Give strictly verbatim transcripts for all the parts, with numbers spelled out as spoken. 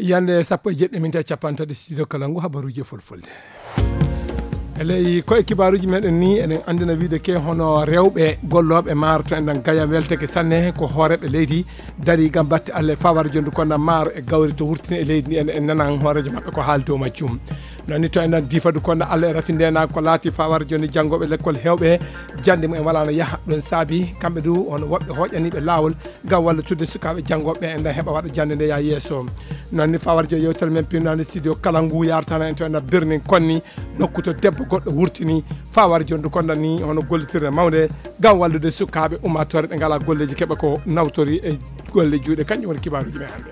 Yande sappo e jeɗɗi minti e capanɗe tati, studio Kalangu, habaruuji e fulfulde. E ley ko e kibaaruuji meɗen ni, eɗen anndina wiide ke hono rewɓe gollooɓe maaro to enɗan Gaya welteke sanne ko hooreeɓe leydi dari ngam batte Allah e fawar jondu konda maaro e gawri to wurtini e leydi ndi en, en nanan hooreejo maɓɓe ko haali dow majjum. Noon ni to enɗan Diifa du konda Allah e rafindena ko laati fawar jondu janngooɓe lekkol heewɓe jannde mumen wala no yaha ɗum saabi kamɓe du hono woɓɓe hooƴaniiɓe laawol ngam wallutude sukaaɓe janngooɓe enɗan heɓa waɗa jannde nde yaa yeeso. Noon ni fawar jondu yewtere men pinnaande studio Kalangu yartana en to enɗan Birnin Konni nokku to debbo goɗɗo wurtini fawar jondu konda ni hono gollitirde mawnde ngam wallude sukaaɓe ummaatoore ɓe ngalaa golleeji keɓa ko nawtori e golle juuɗe. Kanƴum woni kibaaruuji men hannde.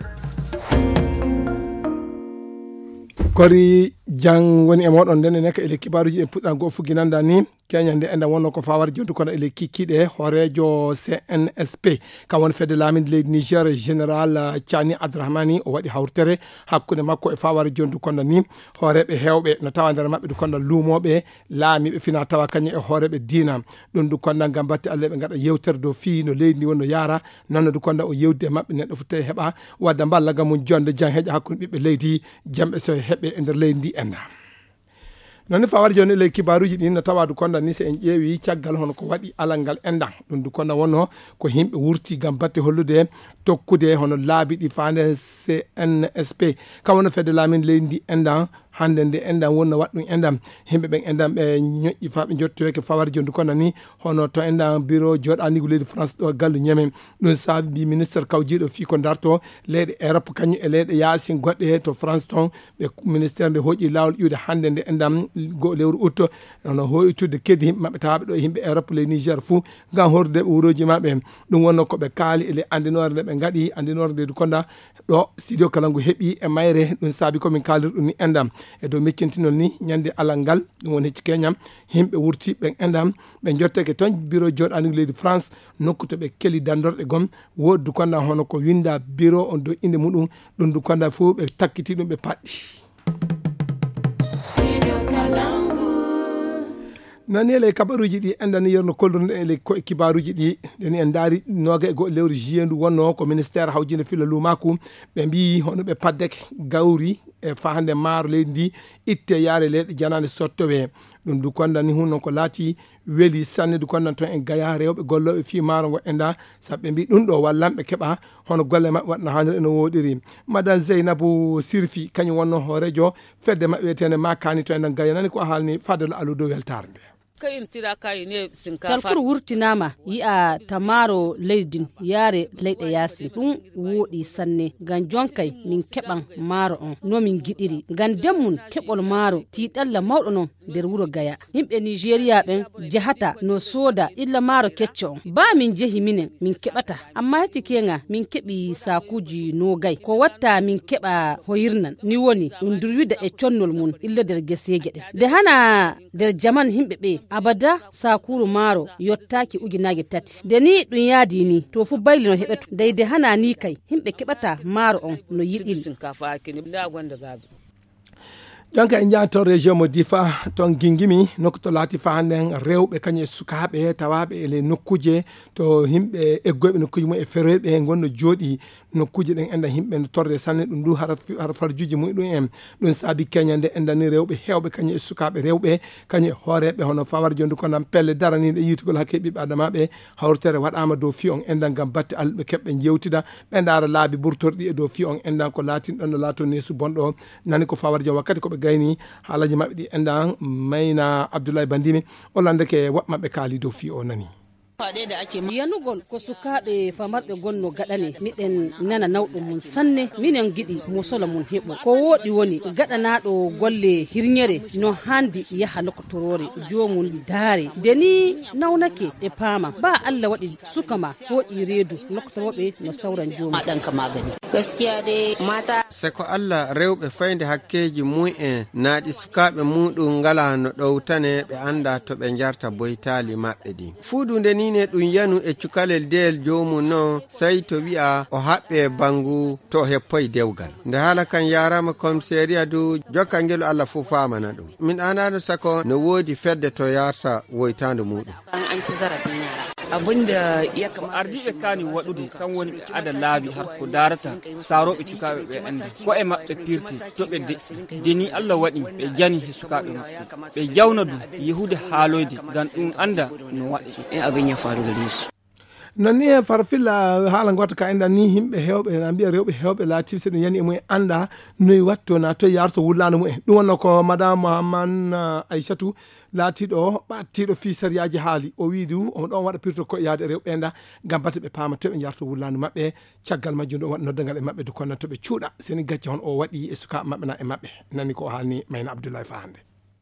Kori jang woni e mooɗon nden enen ka ele kibaaruuji en puɗɗan goo fugginanda ni. Keñande enɗan wonno ko fawar jondu kono ele kikkiɗe hooreejo C N S P kam woni fedde laaminde leydi Niger général Thiani Adrahmani o waɗi hawtere hakkunde makko e fawar jondu kono ni hooreeɓe heewɓe no tawa nder maɓɓe du kono luumooɓe laamiiɓe fina tawa kañum e hooreeɓe diina. Ɗum du kono ngam batte Allah ɓe ngaɗa yewtere dow fii no leydi ndi woni no yaara. Noon du kono o yewdi e maɓɓe neɗɗo fof tawi heɓa wadda mballa gam mum jonde jang heƴa hakkunde ɓiɓɓe leydi jamɓe so heɓe e nder leydi ndi enɗan. Noon ni fawar jooni ley kibaaruuji ɗin no tawa du konda ni so en ƴeewi caggal hono ko waɗi alal ngal enɗan ɗum du konda wonno ko yimɓe wurti ngam batte hollude tokkude hono laabi ɗi faande C N S P kam wonno fedde laamin leydi ndi enɗan hannde nde enɗan wonno waɗ ɗum enɗan yimɓe ɓen enɗan ɓe ñoƴƴi faa ɓe njottoyake fawar jooni du konda ni hono to enɗan biro jooɗaanigu leydi France ɗo gallu ñeme. Ɗum saabi ministre kawjiiɗo fii ko darto leyɗe Europe kañum e leyɗe yaasin goɗɗe to France ton ɓe ministère nde hoƴi laawol iwde hannde nde enɗam go lewru août hono hoytude kedi yimɓe maɓɓe tawaaɓe ɗo e yimɓe Europe ley Niger fuu ngam hordude ɓe wurooji maɓɓe. Ɗum wonno ko ɓe kaali e ley anndinoore nde ɓe ngaɗi anndinoore nde du konda ɗo studio Kalangu heɓi e mayre. Ɗum saabi komin kaaliri ɗum ni enɗam e dow meccintinol ni ñande alal ngal ɗum woni hecci keñam yimɓe wurti ɓen enɗam ɓe njottake toon biro jooɗaanigu leydi France nokku to ɓe keli dandorɗe gom woodi du konda hono ko winda biro on dow innde muɗum. Ɗum du konda fof ɓe takkiti ɗum ɓe paɗɗi. Nani ele kabaruuji ɗi enɗan yerno kollirno ele ko e kibaaruuji ɗi ndeni en ndaari nooga e go lewru juillet ndu wonno ko ministère hawjinde filla luumaaku ɓe mbiyi hono ɓe paddeke gawri e fahande maaro leydi ndi itte yaare leyɗe janaande sottowe. Ɗum du konda ni hun noon ko laati weli sanne du konda toon en gaya rewɓe gollooɓe fii maaro ngo enɗa sabu ɓe mbi ɗum ɗo wallanɓe keɓa hono golle maɓɓe waɗna haanir eno woɗiri. Madan Zeynabu Sirfi kañum wonno hoorejo fedde maɓɓe wiyetende makani to enɗan gaya nani ko haalni fadal aludo weltare nde. Talkuru wurtinaama yi'a tamaaro leydi yaare leyɗe yaasi ɗum wooɗi sanne ngam jonkay min keɓan maaro on no min giɗiri ngam demmun keɓol maaro tiiɗalla mawɗo non nder wuro gaya. Yimɓe nijeriya ɓen jahata no sooda illa maaro kecco on ba min jehi minen min keɓata amma hecci keŋa min keɓi saakuuji noogay ko watta min keɓa hoyirnan ni woni ɗum durwida e connol mum illa nder geseeje ɗen nde hana nder jaman yimɓe ɓe abada saakuuru maaro yottaaki ujunaaje tati nde ni ɗum yaadi ni to fu bayli no heɓetu ndey nde hana ni kay yimɓe keɓata maaro on no yiɗiri. Jonka en njaha toon région mo Difa toon gingimi nokku to laati fa hannden rewɓe kañum e sukaaɓe tawaaɓe e ley nokkuuje to yimɓe eggoyɓe nokkuuje mum e feroyɓe ngonno jooɗi nokkuuje ɗen enɗan yimɓe no torre sanne ɗum du hara hara farjuuji mum ɗum en. Ɗum saabi keñande enɗan ni rewɓe heewɓe kañum e sukaaɓe rewɓe kañum e hooreeɓe hono fawar jondu ko nan pelle daraniiɗe yiitugol hakke ɓiɓɓe adamaaɓe hawritere waɗaama dow fii on enɗan ngam batte alɓe keɓɓe njewtida ɓe ndaara laabi burtorɗi e dow fii on enɗan ko laatin ɗon no laato neesu bonɗo. Nani ko fawar jom wakkati ko ɓe gayni haalaji maɓɓe ɗi enɗan mayna abdoulaye bandimi o landeke woɓɓe maɓɓe kaali dow fii o nani. Yanugol ko sukaaɓe famarɓe gonno gaɗane miɗen nana nawɗo mum sanne minen giɗi mo solo mum heɓo ko wooɗi woni gaɗanaɗo golle hirñere no handi yaha lokotoroore jomum daare nde ni nawnake e paama ba allah waɗi suka ma hooƴi reedu lokotoroɓe no sawran jomum. Gaskiya dai mata. Se ko allah rewɓe fayde hakkeeji mum en naaɗi sukaaɓe muɗum ngala no ɗowtane ɓe annda to ɓe njarta boytaali maɓɓe ɗin. Fuudu nde nii ne ɗum yanu e cukalel deyel joomum non, sey to wi'a o haɓɓee banngu to o heppoy dewgal. Nde haala kan yaaraama komiseeriya du, jokkal ngel Allah fuu faamana ɗum. Min aanaano sako no woodi fedde to yaarta woytaandu muuɗum. An ci zarafin yara. Ko ardiiɓe kaani waɗude kan woni ɓe ada laabi har ko daarata saarooɓe cukaaɓe ɓe enda ko e maɓɓe pirte to ɓe deƴƴi. De ni Allah waɗi ɓe jani he sukaaɓe maɓɓe. Ɓe jawna du yehude haaloyde ngam ɗum anda no waɗi. Non ni e farfilla haala goota ka enɗan ni yimɓe heewɓe na mbiya rewɓe heewɓe laatiiɓe so ɗum yani e mumen annda noy watto na toy yarto wullaandu mumen. Ɗum wonno ko madame Hamman Aysatu laatiiɗo ɓaattiiɗo fii sariyaaji haali. O wii du omo ɗon waɗa pirto ko yaade rewɓe enda ngam bate ɓe paama toy ɓe yarto wullaandu maɓɓe. Caggal majjum ɗo waɗa noddangal e maɓɓe du konna to ɓe cuuɗa seni gacce hon o waɗi e sukaaɓe maɓɓe na e maɓɓe. Nani ko o haalni Mayna Abdullahi faa hannde.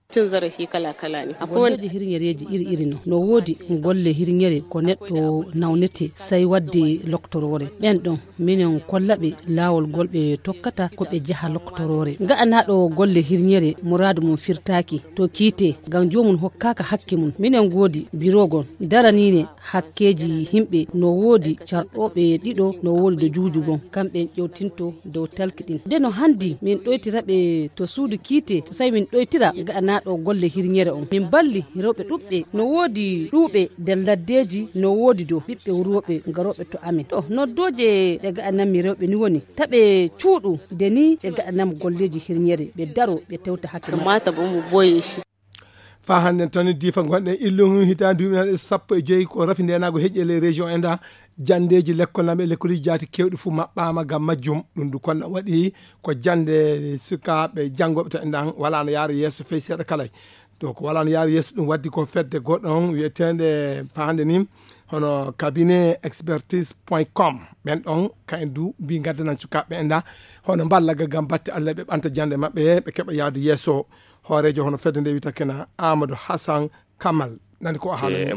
Cin zarafi kala-kala ne. Akwai wanda da hirnyareji iri-iri no. No wodi golle hirnyare ko neɗɗo nawnete sai wadde loktoroore. Ɓen ɗon minen kollaɓe laawol gol ɓe tokkata ko ɓe jaha loktoroore. Nga'anaaɗo golle hirnyare muraadu mum firtaaki to kiite ngam joomum hokkaaka hakke mum. Minen goodi birogon daraniine hakkeeji himɓe no woodi carɗooɓe ɗiɗo no woodi do juujugon kamɓe en ƴewtinto dow talki ɗin. Nde no hanndi min ɗoytira ɓe to suudu kiite, to sai min ɗoytira ga'anaaɗo golle hirnyere on. Min balli rewɓe ɗuɓɓe, no woodi ɗuuɓe nder laddeeji, no woodi do ɓiɓɓe wurooɓe garooɓe to amin. To noddooje ɗe ga'ananmi rewɓe ni woni, ta ɓe cuuɗu nde ni ɓe ga'ananmi golleeji hirnyere, ɓe daro ɓe tewta hakke maɓɓe. Kamata ba mu boye shi. Faa hannden tan diifa gonɗen illum hitaande duuɓi naɗe sappo e joyi ko rafi ndeenaago heƴƴe ley région enda janndeeji lekkol nam e lekkoliji jaati keewɗi fuu maɓɓaama ngam majjum. Ɗum du konna waɗi ko jannde sukaaɓe janngooɓe to enɗan walaa no yaara yeeso fey seeɗa kalay. Donc walaa no yaara yeeso ɗum waddi ko fedde goɗɗon wiyeteende faa hannde ni hono cabinet expertise point com. Ɓen ɗon kayen du mbi ngaddanan sukaaɓe ɓe enda hono mballaga ngam batte Allah ɓe ɓanta jannde maɓɓe ɓe keɓa yaadu yeeso. Hooreejo hono fedde nde wiyata kena Amadou Hassan Kamal. Nani ko o haalani.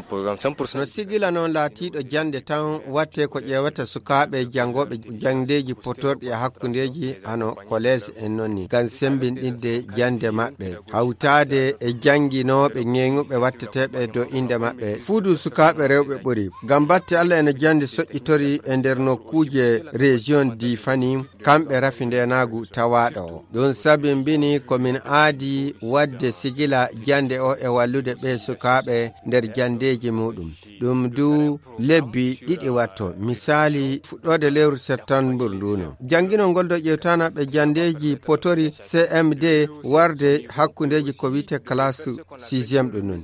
No sigila noon laatiiɗo jannde tan watte ko ƴeewata sukaaɓe janngooɓe janndeeji potorɗi e hakkundeeji hano kolees en noon ni ngam semmbinɗinde jannde maɓɓe hawtaade e jannginooɓe ŋeeŋuɓe watteteeɓe dow innde maɓɓe. Fuu du sukaaɓe rewɓe ɓuri ngam batte Allah ena jannde soƴƴitori e nder nokkuuje région Difani. Kamɓe rafi ndeenaagu tawaaɗo o. Ɗum sabimbini ko min aadi waɗde sigila jannde o e wallude ɓee sukaaɓe nder janndeeji muuɗum. Ɗum du lebbi ɗiɗi watto. Misaali, fuɗɗoode lewru septambur ndu no. Jannginol ngol do ƴeewtanaaɓe janndeeji potori C M D warde hakkundeeji ko wiyetee classe sixième ɗum nun.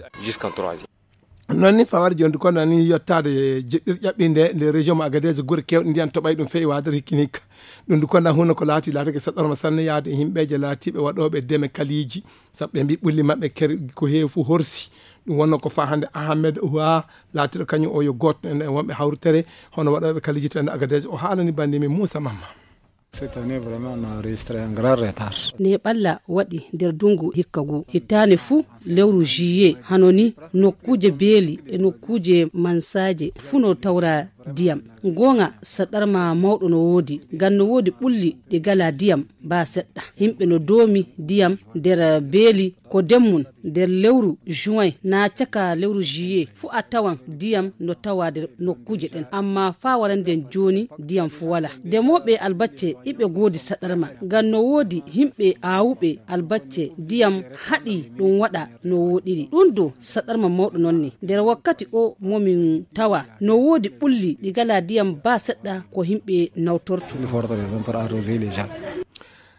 Non ni fawar jondi kono ni yottaade jeɗɗir ƴaɓɓinde nde région mo Agadez gure kewɗe ndiyan toɓay ɗum feewi waade hikkinika. Ɗum du kono hunno ko laati laatake saɗɗorma sanne yaade e yimɓeeje laatiiɓe waɗooɓe deme kaliiji. Sabu ɓe mbi ɓulli maɓɓe ker ko heewi fu horsi. Ɗum wonno ko faa hannde Ahmed Ouha laatiɗo kañum o yo gootno en e wonɓe hawritere hono waɗooɓe kaliiji to en Agadez o haalani bannde min Moussa Mamma. Cette année vraiment on a enregistré un grand retard. Ne ɓalla waɗi nder dungu hikka ngu hittaane fuu lewru juillet hano ni nokkuuje beeli e nokkuuje mansaaje fuu no tawra diyam. Ngoonga saɗarma mawɗo no woodi ngam no woodi ɓulli ɗi gala diyam baa seɗɗa. Yimɓe no doomi diyam nder beeli ko demmum nder lewru juin naa caka lewru juillet fuu a tawan diyam no tawa nder nokkuuje ɗen amma faa waranden jooni diyam fuu walaa. Demooɓe albacce iɓe goodi saɗarma ngam no woodi yimɓe aawuɓe albacce diyam haɗi ɗum waɗa no wooɗiri. Ɗum do saɗarma mawɗo noon ni nder wakkati o mo min tawa no woodi ɓulli ɗi gala diyam baa seɗɗa ko yimɓe nawtorto.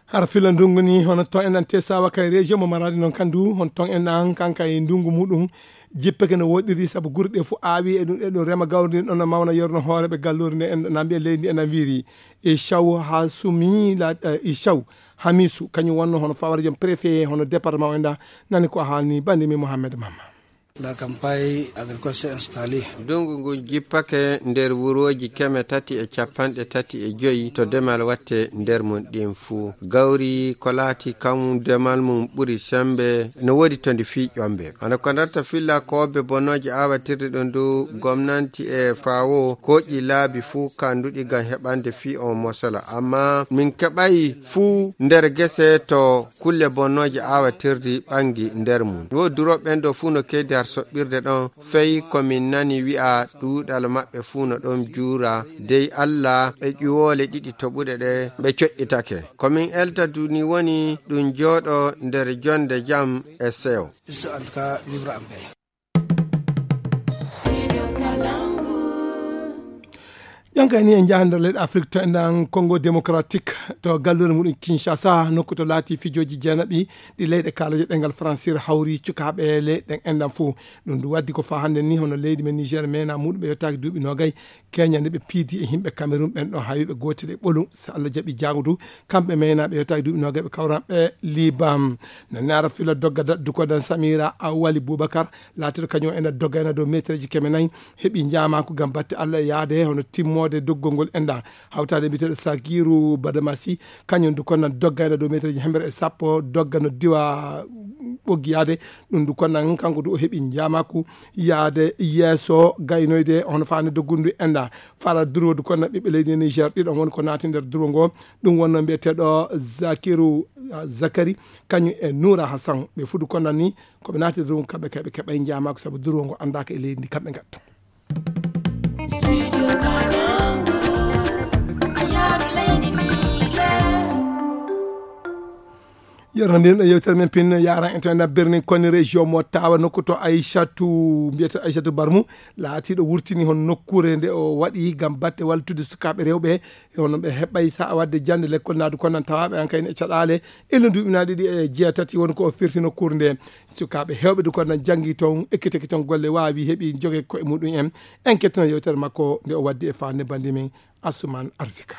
Hara fila ndungu ni hono ton en an te sawa kay région mo maradi noon kandu hon ton en an kanka e ndungu muɗum jippeke no woɗɗiri sabu gure ɗe fof aawi e ɗum e ɗum rema gawri ndi ɗon no mawna yorno hooreɓe gallori nde en na mbiya leydi ndi en na wiiri e chaw ha sumi la e chaw hamisu kañum wonno hono fawara joom préfet hono département o enda nani ko haalni bande mi Mohamed Mamma. La campagne agricole s'est installée. Ndungu ngu jippake nder wurooji keme tati e capanɗe tati e joyi to demal watte nder mum ɗin fuu. Gawri ko laati kam demal mum ɓuri sembe no woodi to ndi fii ƴombe. Hano ko ndarta filla koobe bonnooje aawatirde ɗum du gomnanti e fawo koƴi laabi fuu kanduɗi ngam heɓande fii on mosola. Amma min keɓay fuu nder gese to kulle bonnooje aawatirdi ɓangi nder mum. Wo durooɓe ɓen ɗo fuu no keydi har soɓɓirde ɗon, fey ko min nani wi'a ɗuuɗal maɓɓe fuu no ɗon juura, dey Alla ɓe ƴuwoole ɗiɗi toɓuɗe ɗe ɓe coƴƴitake. Ko min elta du ni woni ɗum jooɗo nder jonde jam e seyo. Juste en tout cas, vivre en paix. Kayni en njahan nder leyɗe Afrik to enɗan Congo Démocratique, to galluure muɗum Kinshasa, nokku to laati fijooji jeenaɓi ɗi leyɗe kaalaje ɗengal Fransir hawri cukaaɓe leyɗe ɗen enɗan fof. Ɗum ndu waddi ko faa hannde ni, hono leydi men Niger meena muɗum ɓe yottaaki duuɓi noogay, Kenya nde ɓe piidi e yimɓe Cameroun ɓen ɗo hawiiɓe gootel e ɓolum, so Allah jaɓi jaago du, kamɓe meena ɓe yottaaki duuɓi noogay ɓe kawran ɓe Liban. Na naara fila dogga da-, dukodan Samira Awali Boubacar, laatiiɗo kañum ena dogga ena dow meetereeji keme nayi, heɓi njaamaaku ngam batte Allah e yahde hono timmoode doggol ngol enɗan. Hawtaade biyeteeɗo Sakiru Badamasi, kañum du konnan dogga ena dow meetereeji hemere e sappo, dogga no diwa ɓoggi yahde. Ɗum du konnan kanko du o heɓi njaamaaku yahde yeeso gaynoyde hono faande doggundu enɗan. Fara durwo du konnan ɓiɓɓe leydi Niger ɗiɗon woni ko naati nder durwo ngo. Ɗum wonno mbiyeteeɗo Zakiru, ah, Zakari, kañum e Noura Hassan. Ɓe fuu du konnan ni ko ɓe naati nder ɗum, kamɓe kay ɓe keɓay njaamaaku sabu durwo ngo anndaaka e leydi ndi kamɓe ngattu. Yerno mbin yewtere men pin yaran en to ena berni koni région mo tawa nokku to Aïssatou, mbiyata Aïssatou Barmou, laatiiɗo wurtini hon nokkuure nde o waɗi ngam batte wallude sukaaɓe rewɓe. E hono ɓe heɓay sa'a wadde jannde lekkol naadu konnan tawaaɓe an kayne e caɗaale illa duuɓi na ɗiɗi e jeetati woni ko o firti nokkuure nde. Sukaaɓe heewɓe du konnan janngi toon, ekkitaki toon golle, waawi heɓi joge koye muɗum en. En kettino yewtere makko nde o waddi e faande bandi men Asuman Arsika.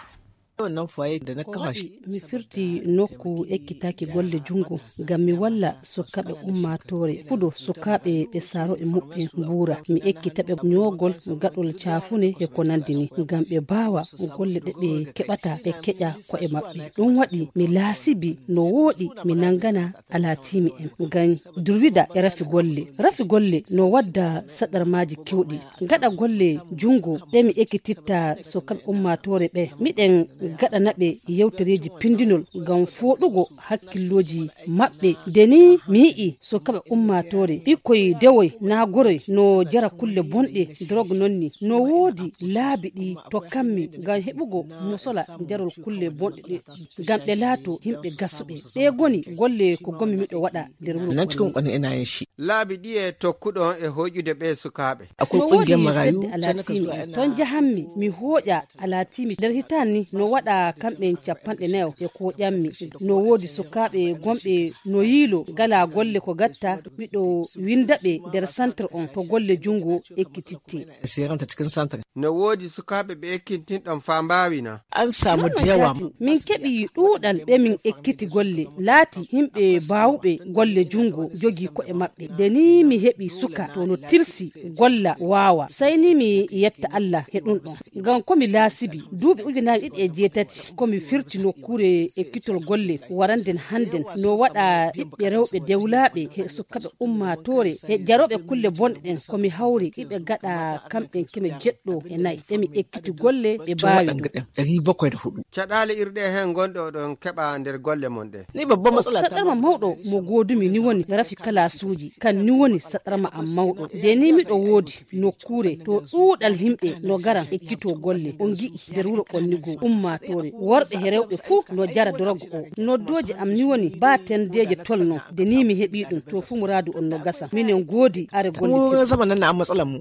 Ko waɗi mi firti nokku ekkitaki golle junngo ngam mi walla sukaaɓe ummaatoore fuɗo, sukaaɓe ɓe saaro e muɓɓen mbuura. Mi ekkita ɓe ñoogol gaɗol caafune e ko nanndi ni, ngam ɓe mbaawa golle ɗe ɓe keɓata ɓe keƴa ko'e maɓɓe. Ɗum waɗi mi laasibi no wooɗi mi nanngana alaatiimi en ngam durwida e rafi golle. Rafi golle no wadda saɗarmaaji keewɗi. Gaɗa golle junngo ɗe mi ekkititta sukaaɓe ummaatoore ɓe. Miɗen gaɗana ɓe yewtereeji pinndinol ngam fooɗugo hakkillooji maɓɓe. Nde ni mi yi'i sukaaɓe ummaatoore, ɓikkoy dewoy naa goroy no jara kulle bonɗe, drog non ni. No woodi laabi ɗi tokkammi ngam heɓugo mosola jarol kulle bonɗe ɗe, ngam ɓe laato yimɓe gasuɓe. Ɗe goni golle ko gommi miɗo waɗa nder wuro. Nan cikin wani ina yin shi. Laabi ɗiye tokkuɗon e hoƴude ɓe sukaaɓe? Akwai no woodi kungiyar marayu fedde alaatiimi en. Ton njahanmi, mi hooƴa alaatiimi. Nder hitaande ni, no waɗa kamɓe capanɗe nayo e ko ƴammi. No woodi sukaaɓe gonɓe no yiilo, ngalaa golle ko gatta, miɗo winnda ɓe nder santre on to golle junngo ekkititte. Siranta cikin santre. No woodi sukaaɓe ɓe ekkitinɗon faa mbaawi na? An samu da yawa. Min keɓi ɗuuɗal ɓe min ekkiti golle, laati yimɓe baawuɓe golle junngo jogii ko'e maɓɓe. Nde ni mi heɓi suka to no tirsi golla waawa. Sey ni mi yetta Allah he ɗum ɗon. Ngam ko mi laasibi, duuɓi ujunaaji ɗiɗi e jeetati, ko mi firti nokkuure ekkitol golle waranden hannden. No waɗa ɓiɓɓe rewɓe dewlaaɓe he sukaaɓe ummaatoore, he jarooɓe kulle bonɗe ɗen, ko mi hawri ɓe gaɗa kamɓe keme jeɗɗo e nayi. Emi ekkiti golle ɓe baawi ɗum. Caɗaale irɗe heen ngonɗe oɗon keɓa nder golle mon ɗe. Ni babban matsala ta. Saɗarma mawɗo mo goodumi ni woni rafi kalaasuuji, kan ni woni saɗarma am mawɗo. Nde ni miɗo woodi nokkuure to ɗuuɗal yimɓe no garan ekkito golle. On ngi'i nder wuro Ɓonnigo, ummaatoore, worɓe he rewɓe fuu no jara dorogo o. Noddooje am ni woni ba tendeeje tolno, nde ni mi heɓi ɗum, to fuu muraadu on no gasa. Minen goodi are golle. Kuma tedduɗe. Zaman nan na an matsalar mu.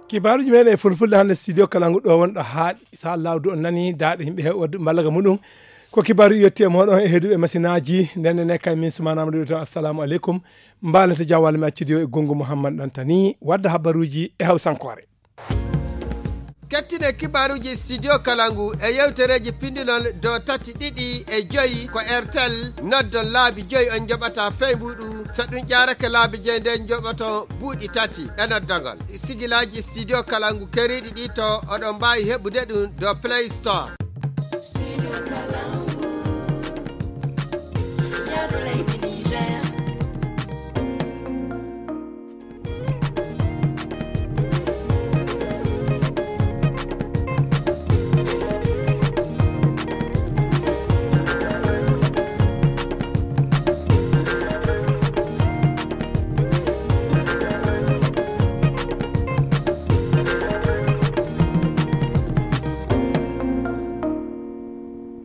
Kibaaruuji meɗen e fulfulde hannde studio kala ngu ɗo wonɗo haaɗi. Sa lawdu on nani daaɗe yimɓe heɓi waddu mballaga muɗum. Ko kibaaru yetti e moɗon e heeduɓe masinaaji. Nden ne kay min Sumaana Amadou to assalamu aleykum. Mbaalete jam walla mi accidi o e gongu Mouhammad Dantani wadda habaruuji e hawsankoore. Kettine kibaaruuji studio kala ngu e yewtereeji pindinol dow tati ɗiɗi e joyi ko Airtel. Noddon laabi joyi on njoɓata fey mbuuɗu. So ɗum ƴaarake laabi joyi nden njoɓoton buuɗi tati e noddagol. Sigilaaji studio kala ngu keriiɗi ɗi to oɗon mbaawi heɓude ɗum dow Play Store.